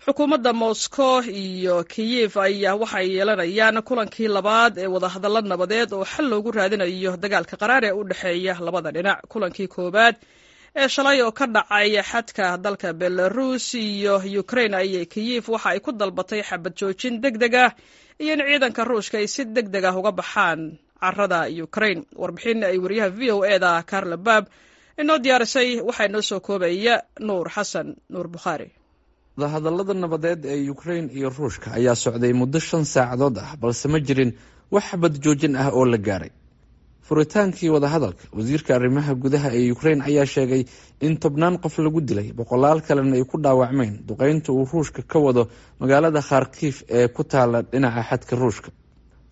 Xukuumadda Moscow iyo Kiyif ayaa waxay yeelanayaan kulankii labaad ee wadahadallo nabadeed oo xal loogu raadinayo dagaalka qaraar ee u dhexeeya labada dhinac. Kulankii koowaad ee shalay oo ka dhacay xadka dalka Belarus iyo Ukraine ayay Kiyif waxa ay ku dalbatay xabad joojin deg deg ah iyo in ciidanka Ruushka ay si deg deg ah uga baxaan carada Ukraine. Warbixin ay wariyaha VOA-da Carla Baab inoo diyaarisay waxaa inoo soo koobaya Nuur Xasan Nuur Bukhaari. Wadahadallada nabadeed ee Ukraine iyo Ruushka ayaa socday muddo 5 saacadood ah, balse ma jirin wax xabad joojin ah oo la gaaray. Furitaankii wadahadalka, wasiirka arrimaha gudaha ee Ukraine ayaa sheegay in tobnaan qof lagu dilay, boqolaal kalena ay ku dhaawacmeen duqeynta uu Ruushka ka wado magaalada Kharkiif ee ku taala dhinaca xadka Ruushka.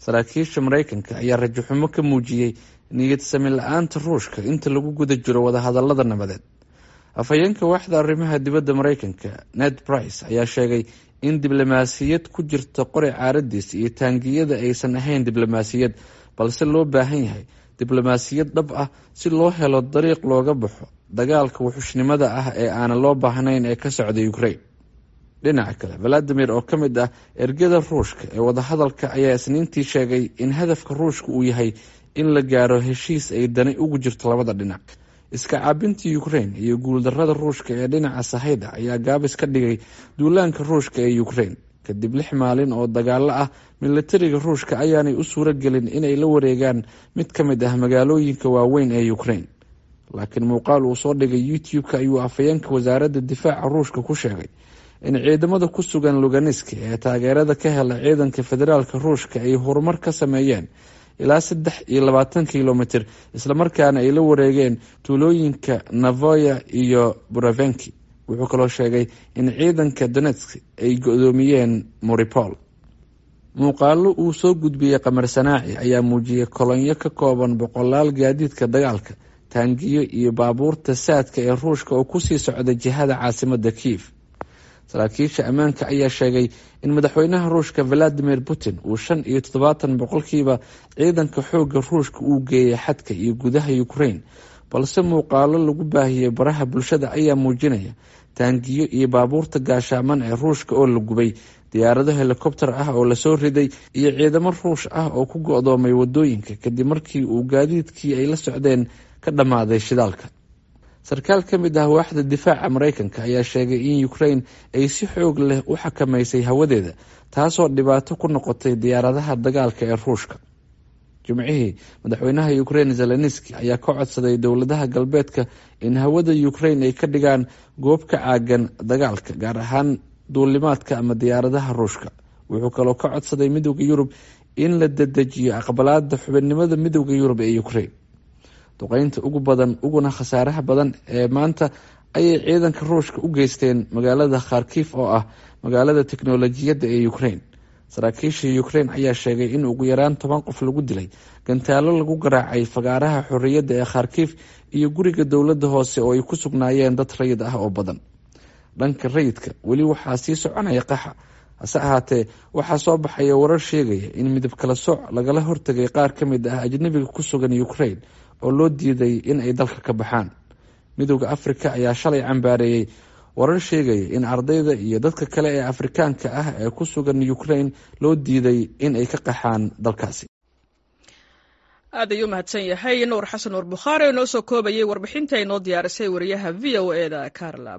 Saraakiisha Mareykanka ayaa rajaxumo ka muujiyey niyad sami la-aanta Ruushka inta lagu guda jiro wadahadalada nabadeed. Afhayeenka waaxda arrimaha dibadda Mareykanka, Ned Price, ayaa sheegay in diblomaasiyad ku jirta qori caaradiis iyo taangiyada aysan ahayn diblomaasiyad, balse loo baahan yahay diblomaasiyad dhab ah si loo helo dariiq looga baxo dagaalka wuxushnimada ah ee aanan loo baahnayn ee ka socda Ukraine. Dhinaca kale, Valadimir oo ka mid ah ergada Ruushka ee wadahadalka ayaa Isniintii sheegay in hadafka Ruushka uu yahay in la gaaro heshiis ay dani ugu jirto labada dhinac. Iska caabinta Ukraine iyo guuldarada Ruushka ee dhinaca sahayda ayaa gaabis ka dhigay duulaanka Ruushka ee Ukraine. Kadib 6 maalin oo dagaalo ah, milatariga Ruushka ayaanay u suuro gelin inay la wareegaan mid ka mid ah magaalooyinka waaweyn ee Ukraine. Laakiin muuqaal uu soo dhigay YouTube-ka ayuu afhayeenka wasaaradda difaaca Ruushka ku sheegay in ciidamada ku sugan Luganisk ee taageerada ka hela ciidanka federaalka Ruushka ay horumar ka sameeyeen ilaa 23 kilomitir, islamarkaana ay la wareegeen tuulooyinka Navoya iyo Buravenki. Wuxuu kaloo sheegay in ciidanka Donetsk ay go-doomiyeen Mariupol. Muuqaalo uu soo gudbiyey qamar sanaaci ayaa muujiyey kolonyo ka kooban boqolaal gaadiidka dagaalka, taangiyo iyo baabuurta saadka ee Ruushka oo kusii socda jihada caasimada Kiif. Saraakiisha ammaanka ayaa sheegay in madaxweynaha Ruushka Valadimir Putin uu 75% ciidanka xoogga Ruushka uu geeyay xadka iyo gudaha Ukraine, balse muuqaalo lagu baahiyey baraha bulshada ayaa muujinaya taangiyo iyo baabuurta gaashaaman ee Ruushka oo la gubay, diyaarado helikobter ah oo lasoo riday iyo ciidamo Ruush ah oo ku go-doomay wadooyinka kadib markii uu gaadiidkii ay la socdeen ka dhammaaday shidaalka. Sarkaal ka mid ah waaxda difaaca Mareykanka ayaa sheegay in Ukraine ay si xoog leh u xakamaysay hawadeeda, taasoo dhibaato ku noqotay diyaaradaha dagaalka ee Ruushka. Jimcihii, madaxweynaha Ukraine Zelenski ayaa ka codsaday dowladaha galbeedka in hawada Ukraine ay ka dhigaan goob ka caagan dagaalka, gaar ahaan duulimaadka ama diyaaradaha Ruushka. Wuxuu kaloo ka codsaday Midowda Yurub in la dedejiyo aqbalaada xubinnimada Midowda Yurub ee Ukraine. Duqeynta ugu badan uguna khasaaraha badan ee maanta ayay ciidanka Ruushka u geysteen magaalada Kharkif oo ah magaalada teknolojiyadda ee Ukraine. Saraakiisha Ukraine ayaa sheegay in ugu yaraan 10 qof lagu dilay gantaalo lagu garaacay fagaaraha xorriyadda ee Kharkif iyo guriga dowladda hoose oo ay ku sugnaayeen dad rayid ah oo badan. Dhanka rayidka, weli waxaa sii soconaya qaxa. Hase ahaatee, waxaa soo baxaya warar sheegaya in midab kala sooc lagala hortagay qaar ka mid ah ajnabiga ku sugan Ukraine oo loo diiday in ay dalka ka baxaan. Midowda Afrika ayaa shalay cambaareeyey warar sheegaya in ardayda iyo dadka kale ee Afrikaanka ah ee ku sugan Ukraine loo diiday in ay ka qaxaan dalkaasi. Aad ayuu mahadsan yahay Nuur Xasan Nuur Bukhaari oo inoo soo koobayay warbixinta inoo diyaarisay wariyaha VOA-da Carla.